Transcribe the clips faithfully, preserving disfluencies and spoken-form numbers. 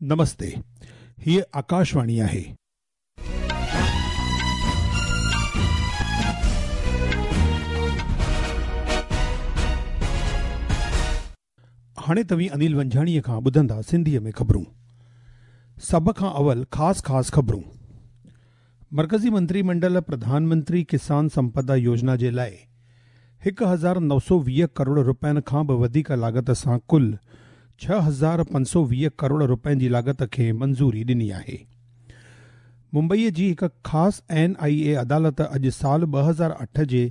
नमस्ते, हीअ आकाशवाणी आहे। हाणे तव्हीं अनिल वंझाणीअ खां ॿुधंदा सिंधीअ में ख़बरूं। सभ खां अवल ख़ासि ख़ासि ख़बरूं। मरकज़ी मंत्रीमंडल प्रधानमंत्री किसान संपदा योजना जे लाइ हिकु हज़ार नौ सौ वीह करोड़ रुपयनि खां बि वधीक लागत सां कुल छह हज़ार पंज सौ वीह करोड़ रुपयनि जी लागत खे मंज़ूरी ॾिनी आहे। मुंबईअ जी हिकु ख़ासि एन आई ए अदालत अॼु साल ॿ हज़ार अठ जे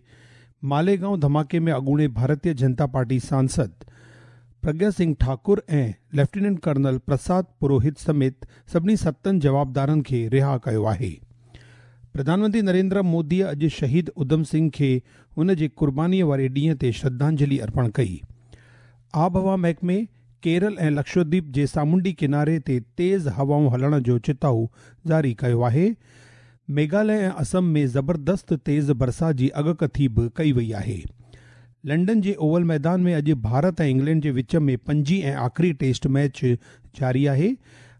मालेगांव धमाके में अॻूणे भारतीय जनता पार्टी सांसद प्रज्ञा सिंह ठाकुर ऐं लेफ्टिनेंट कर्नल प्रसाद पुरोहित समेत सभिनी सतनि जवाबदारनि खे रिहा कयो आहे। प्रधानमंत्री नरेंद्र मोदीअ अॼु शहीद उधम सिंह खे हुन जे क़ुर्बानीअ वारे ॾींहं ते श्रद्धांजलि अर्पण कई। आबहवा महकमे केरल ऐं लक्षद्वीप जे सामुंडी किनारे ते तेज़ हवाऊं हलण जो चिताउ जारी कयो आहे। मेघालय ऐं असम में ज़बरदस्त तेज़ बरसाति जी अॻकथी बि कई वई आहे। लंडन जे ओवल मैदान में अॼु भारत ऐं इंग्लैंड जे विच में पंजी ऐं आख़िरी टेस्ट मैच जारी आहे।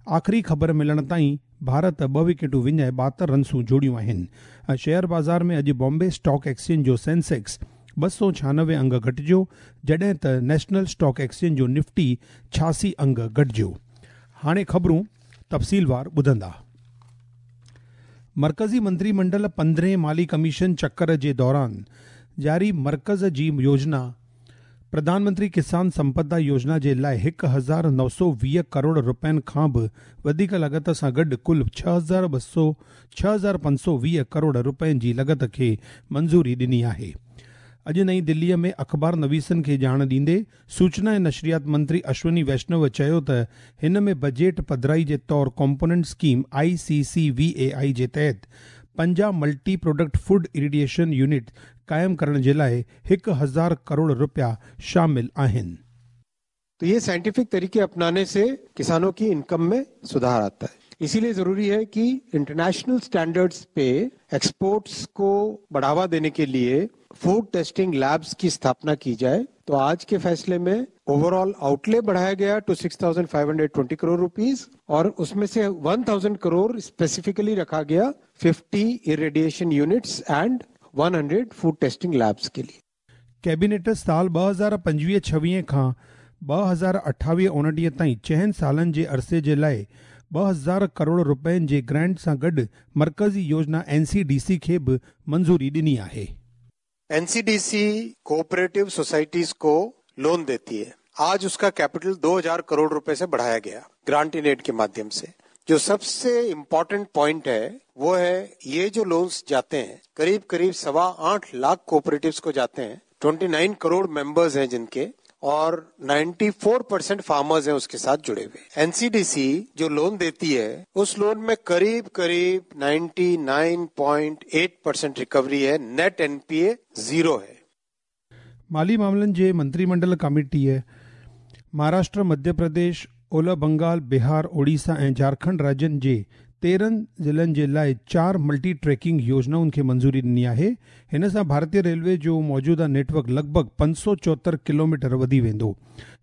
आख़िरी ख़बर मिलण ताईं भारत ॿ विकेटूं विञाए ॿाहतरि रनसूं जोड़ियूं आहिनि। ऐं शेयर बाज़ार में अॼु बॉम्बे स्टॉक एक्सचेंज जो सेंसेक्स ॿ सौ छियानवे अंग घटिजो, जॾहिं त नेशनल स्टॉक एक्सचेंज जो निफ्टी छियासी अंग घटिजो। हाणे ख़बरूं तफ़सीलवार ॿुधंदा। मरकज़ी मंत्रीमंडल पंद्रहें माली कमीशन चक्कर जे दौरान जारी मरकज़ जी योजना प्रधानमंत्री किसान संपदा योजना जे लाइ हिकु हज़ार नौ सौ वीह करोड़ रुपयनि खां बि वधीक लागत सां गॾु कुल छह हज़ार ॿ सौ छह हज़ार पंज सौ वीह करोड़ रुपयनि जी लागत खे मंज़ूरी ॾिनी आहे। अॼु नई दिल्लीअ में अख़बार नवीसनि खे ॼाण ॾींदे सूचना ऐं नशरियात मंत्री अश्विनी वैष्णव चयो त हिन में बजट पधराई जे तौर component scheme I C C V A I जे तहत पंजाह multi product food irradiation unit क़ाइमु करण जे लाइ हिकु हज़ार करोड़ रुपया शामिल आहिनि। तो ये साइंटिफिक तरीके अपनाने से किसानों की इनकम में सुधार आता है। इसीलिए जरूरी है कि इंटरनेशनल स्टैंडर्ड्स पे एक्सपोर्ट्स को बढ़ावा देने के लिए फूड टेस्टिंग लैब्स की स्थापना की जाए। तो आज के फैसले में ओवरऑल आउटले बढ़ाया गया to six thousand five hundred twenty crore rupees और उसमें से वन थाउजेंड करोड़ स्पेसिफिकली रखा गया fifty irradiation units and one hundred food testing labs के लिए। कैबिनेट साल ॿ हज़ार पंजवीह छवीह खां ॿ हज़ार अठावीह उणिटीह ताईं चइनि सालनि जे अरसे जे लाइ ॿ हज़ार करोड़ रुपयनि जे ग्रांट सां गॾु मरकज़ी योजना एन सी डी सी खे बि मंज़ूरी ॾिनी आहे। N C D C cooperative societies को लोन देती है। आज उसका कैपिटल दो हज़ार करोड़ रुपए से बढ़ाया गया ग्रांट इन एड के माध्यम से। जो सबसे इम्पोर्टेंट पॉइंट है वो है ये जो लोन्स जाते हैं करीब करीब सवा आठ लाख कोऑपरेटिव्स को जाते हैं, उनतीस करोड़ मेंबर्स हैं जिनके और चौरानवे परसेंट फार्मर्स हैं उसके साथ जुड़े हुए। एन सी डी सी जो लोन देती है उस लोन में करीब करीब निन्यानवे पॉइंट आठ परसेंट रिकवरी है, net N P A zero है। माली मामलनि जे मंत्रीमंडल कमेटीअ महाराष्ट्र, मध्य प्रदेश, ओलह बंगाल, बिहार, ओडिशा ऐं झारखंड राज्यनि जे तेरहं ज़िलनि जे लाइ चारि मल्टी ट्रैकिंग योजनाउनि खे मंज़ूरी ॾिनी आहे। हिन सां भारतीय रेलवे जो मौजूदा नेटवर्क लॻभॻि पंज सौ चोहतरि किलोमीटर वधी वेंदो।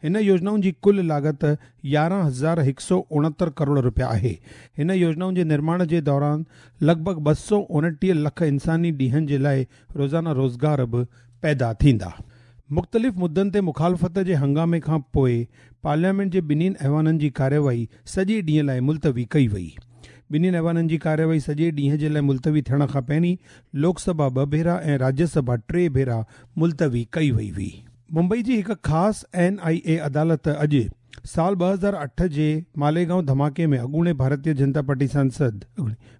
हिन योजनाउनि जी कुल लागत यारहं हज़ार हिकु सौ उणहतरि करोड़ रुपया आहे। हिन योजनाउनि जे निर्माण जे दौरान लॻभॻि ॿ सौ उणटीह लख इंसानी ॾींहनि जे लाइ रोज़ाना रोज़गार बि पैदा थींदा। मुख़्तलिफ़ मुद्दनि ते मुखालफ़त जे हंगामे खां पोइ पार्लियामेंट जे ॿिन्हिनि ऐवाननि जी कार्यवाही सॼे ॾींहं लाइ मुलतवी कई वई। ॿिन्हिनि ऐवाननि जी कार्यवाही सॼे ॾींहं जे लाइ मुलतवी थियण खां पहिरीं लोकसभा ॿ भेरा ऐं राज्यसभा टे भेरा मुलतवी कई वई हुई। मुंबई जी हिकु ख़ासि एन आई ए अदालत अॼु साल ॿ हज़ार अठ जे मालेगांव धमाके में अॻूणे भारतीय जनता पार्टी सांसद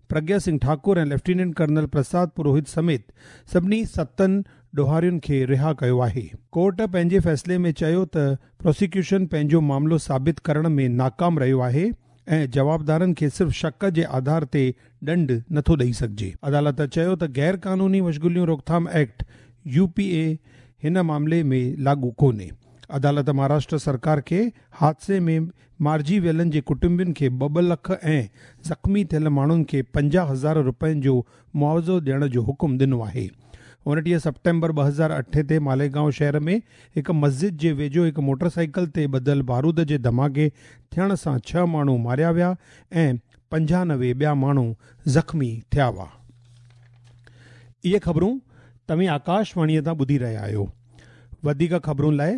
प्रज्ञा सिंह ठाकुर ऐं लेफ्टिनेंट कर्नल प्रसाद पुरोहित समेत सभिनी सतनि ॾोहारियुनि खे रिहा कयो आहे। कोर्ट पंहिंजे फ़ैसिले में चयो त प्रोसिक्यूशन पंहिंजो मामिलो साबित करण में नाकाम रहियो आहे ऐं जवाबदारनि खे सिर्फ़ शक जे आधार ते ॾंड नथो ॾेई सघिजे। अदालत चयो त गैर कानूनी मशग़ूलियूं रोकथाम एक्ट यू पी ए हिन मामले में लागू कोन्हे। अदालत महाराष्ट्र सरकार खे हादसे में मारिजी वियलनि जे कुटुंबियुनि खे ॿ ॿ लख ऐं ज़ख़्मी थियल माण्हुनि खे पंजाह हज़ार रुपयनि जो मुआवज़ो ॾियण जो हुकुम ॾिनो आहे। اڻٽيهه سيپٽمبر ٻه هزار اٺ تي ماليگائون شهر ۾ هڪ مسجد جي ويجهو هڪ موٽرسائيڪل تي ٻڌل بارود جي ڌماڪي ٿيڻ سان ڇهه ماڻهو ماريا ويا ۽ پنجانوي ٻيا ماڻهو زخمي ٿيا هئا. اهي خبرون توهين آڪاشواڻيءَ تان ٻڌي رهيا آهيو. وڌيڪ خبرن لاءِ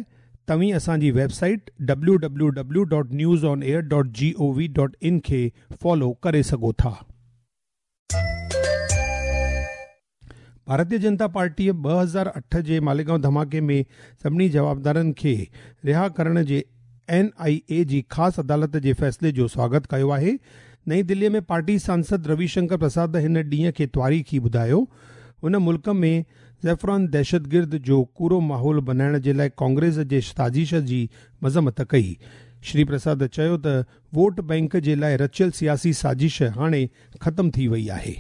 توهين اسان جي website W W W dot news on air dot G O V dot in کي فالو ڪري سگهو ٿا. ڀارتيه جنتا پارٽيءَ ٻه هزار اٺ جي ماليگائون ڌماڪي ۾ سڀني جوابدارن کي رها ڪرڻ جي اين آئي اي جي خاص عدالت جي فيصلي جو سواگت ڪيو آهي. نئين دليءَ ۾ پارٽي سانسد روي شنڪر پرساد هن ڏينهن کي تاريخي ٻڌايو. هن ملڪ ۾ زيفران دهشتگرد جو ڪوڙو ماحول بنائڻ جي لاءِ ڪانگريس جي سازش جي مذمت ڪئي. شري پرساد چيو ته ووٽ بينڪ جي لاءِ رچيل سياسي سازش هاڻي ختم ٿي وئي آهي.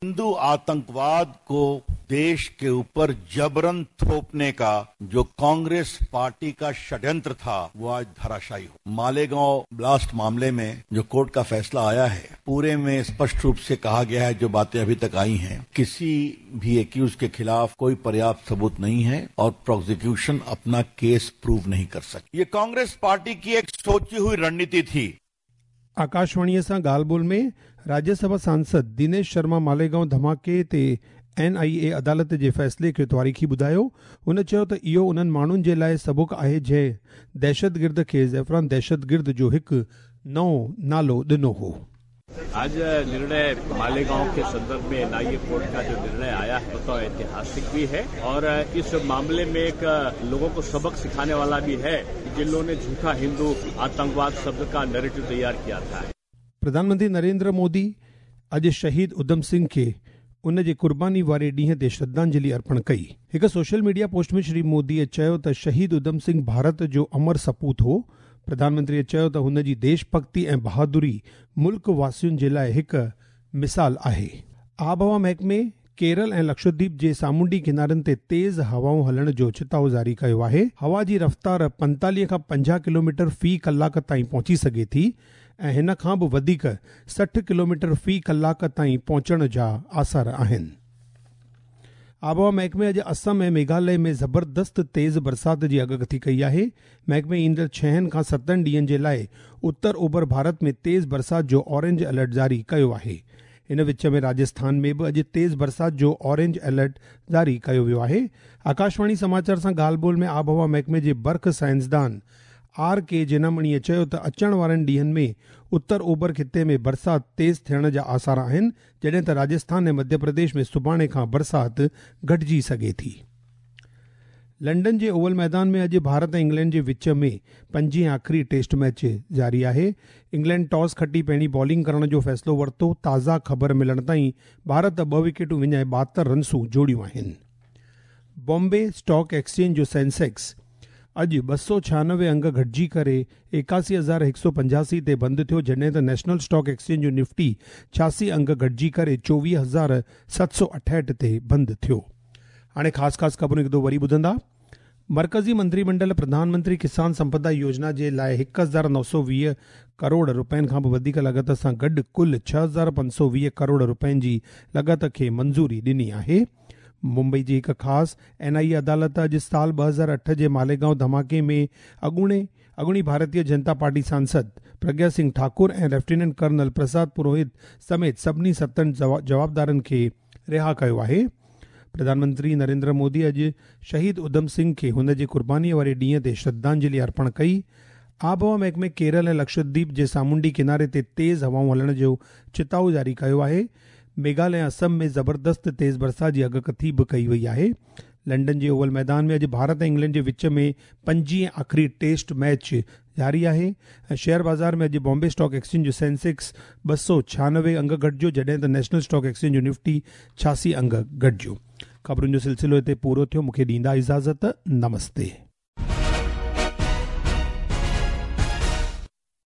हिंदू आतंकवाद को देश के ऊपर जबरन थोपने का जो कांग्रेस पार्टी का षड्यंत्र था वो आज धराशायी हो। मालेगांव ब्लास्ट मामले में जो कोर्ट का फैसला आया है पूरे में स्पष्ट रूप से कहा गया है, जो बातें अभी तक आई हैं, किसी भी एक्यूज के खिलाफ कोई पर्याप्त सबूत नहीं है और प्रोसिक्यूशन अपना केस प्रूव नहीं कर सकी। ये कांग्रेस पार्टी की एक सोची हुई रणनीति थी। आकाशवाणीअ सां ॻाल्हि ॿोल में राज्यसभा सांसद दिनेश शर्मा मालेगांव धमाके ते एन आई ए अदालत जे फ़ैसिले खे तारीख़ी ॿुधायो. हुन चयो त इहो उन्हनि माण्हुनि जे लाइ सबक़ आहे जंहिं दहशतगिर्द खे ज़ैफ़रान दहशतगिर्द जो हिकु नओं नालो ॾिनो हो. आज निर्णय मालेगांव के संदर्भ में एनआईए कोर्ट का जो निर्णय आया है तो ऐतिहासिक भी है और इस मामले में एक लोगों को सबक सिखाने वाला भी है जिन लोगों ने झूठा हिंदू आतंकवाद शब्द का नैरेटिव तैयार किया था. प्रधानमंत्री नरेंद्र मोदी अॼु शहीद उधम सिंह खे उन जे कुर्बानी वारे ॾींहं ते श्रद्धांजलि अर्पण कई. हिकु सोशल मीडिया पोस्ट में श्री मोदीअ चयो त शहीद उधम सिंह भारत जो अमर सपूत हो. प्रधानमंत्रीअ चयो त हुन जी देशभक्ति ऐं बहादुरी मुल्क वासियुनि जे लाइ हिकु मिसाल आहे. आबहवा महकमे केरल ऐं लक्षद्वीप जे सामुंडी किनारनि ते तेज़ हवाऊं हलण जो चिताव जारी कयो आहे. हवा जी रफ़्तार पंतालीह खां पंजाहु किलोमीटर फ़ी कलाक ताईं पहुची सघे थी ऐं हिन खां बि वधीक सठि किलोमीटर फ़ी कलाक ताईं पहुचण जा आसार आहिनि. आबहवा महकमे अॼु असम ऐं मेघालय में ज़बरदस्त तेज़ बरसात जी अगकथी कई आहे. महकमे ईंदड़ छहनि खां सतनि ॾींहनि जे लाइ उत्तर ओभर भारत में तेज़ बरसात जो ऑरेंज अलर्ट जारी कयो आहे. इन विच में राजस्थान में बि अॼु तेज़ बरसात जो ऑरेंज अलर्ट जारी कयो वियो आहे. आकाशवाणी समाचार सां ॻाल्हि ॿोल में आबहवा महकमे जे बर्ख साइंसदान are के जेनामणीअ चयो त अचण वारनि ॾींहनि में उत्तर ओभर ख़िते में बरसात तेज़ थियण जा आसार आहिनि, जॾहिं त राजस्थान ऐं मध्य प्रदेश में सुभाणे खां बरसात घटिजी सघे थी. लंडन जे ओवल मैदान में अॼु भारत ऐं इंग्लैंड जे विच में पंजीं आख़िरी टेस्ट मैच जारी आहे. इंग्लैंड टॉस खटी पहिरीं बॉलिंग करण जो फ़ैसिलो वरितो. ताज़ा ख़बर मिलण ताईं भारत ॿ विकेटूं विञाए ॿाहतरि रनसूं जोड़ियूं आहिनि. बॉम्बे स्टॉक एक्सचेंज जो सेंसेक्स अॼु ॿ सौ छियानवे अंग घटिजी करे एकासी हज़ार हिकु सौ पंजासी ते बंदि थियो, जॾहिं त नेशनल स्टॉक एक्सचेंज जो निफ्टी छियासी अंग घटिजी करे चोवीह हज़ार सत सौ अठहठि ते बंदि थियो. हाणे ख़ासि ख़ासि ख़बरूं हिकु दफ़ो वरी ॿुधंदा. मर्कज़ी मंत्रीमंडल प्रधानमंत्री किसान संपदा योजना जे लाइ हिकु हज़ार नौ सौ वीह करोड़ रुपयनि खां बि वधीक लागत सां गॾु कुल छह हज़ार पंज सौ वीह करोड़ रुपयनि जी लागत खे मंज़ूरी ॾिनी आहे. मुंबई जी हिकु ख़ासि एन आई ए अदालत अॼु साल ॿ हज़ार अठ जे मालेगांव धमाके में अॻूणे अॻूणी भारतीय जनता पार्टी सांसद प्रज्ञा सिंह ठाकुर ऐं लेफ्टिनेंट कर्नल प्रसाद पुरोहित समेत सभिनी सतनि जवाबदारनि खे रिहा कयो आहे. प्रधानमंत्री नरेंद्र मोदी अॼु शहीद उधम सिंह खे हुन जे कुर्बानीअ वारे ॾींहं ते श्रद्धांजलि अर्पण कई. आबहवा महकमे केरल ऐं लक्षद्वीप जे सामुंडी किनारे ते तेज़ हवाऊं हलण जो चिताव जारी कयो आहे. मेघालय ऐं असम में ज़बरदस्त तेज़ बरसात जी अगकथी बि कई वई आहे. लंडन जे ओवल मैदान में अॼु भारत ऐं इंग्लैंड जे विच में पंजीं आख़िरी टेस्ट मैच जारी आहे. ऐं शेयर बाज़ार में अॼु बॉम्बे स्टॉक एक्सचेंज जो सेंसेक्स ॿ सौ छियानवे अंग घटिजो, जॾहिं त नेशनल स्टॉक एक्सचेंज जो निफ्टी छियासी अंग घटिजो. ख़बरुनि जो सिलसिलो हिते पूरो थियो. मूंखे ॾींदा इजाज़त. नमस्ते.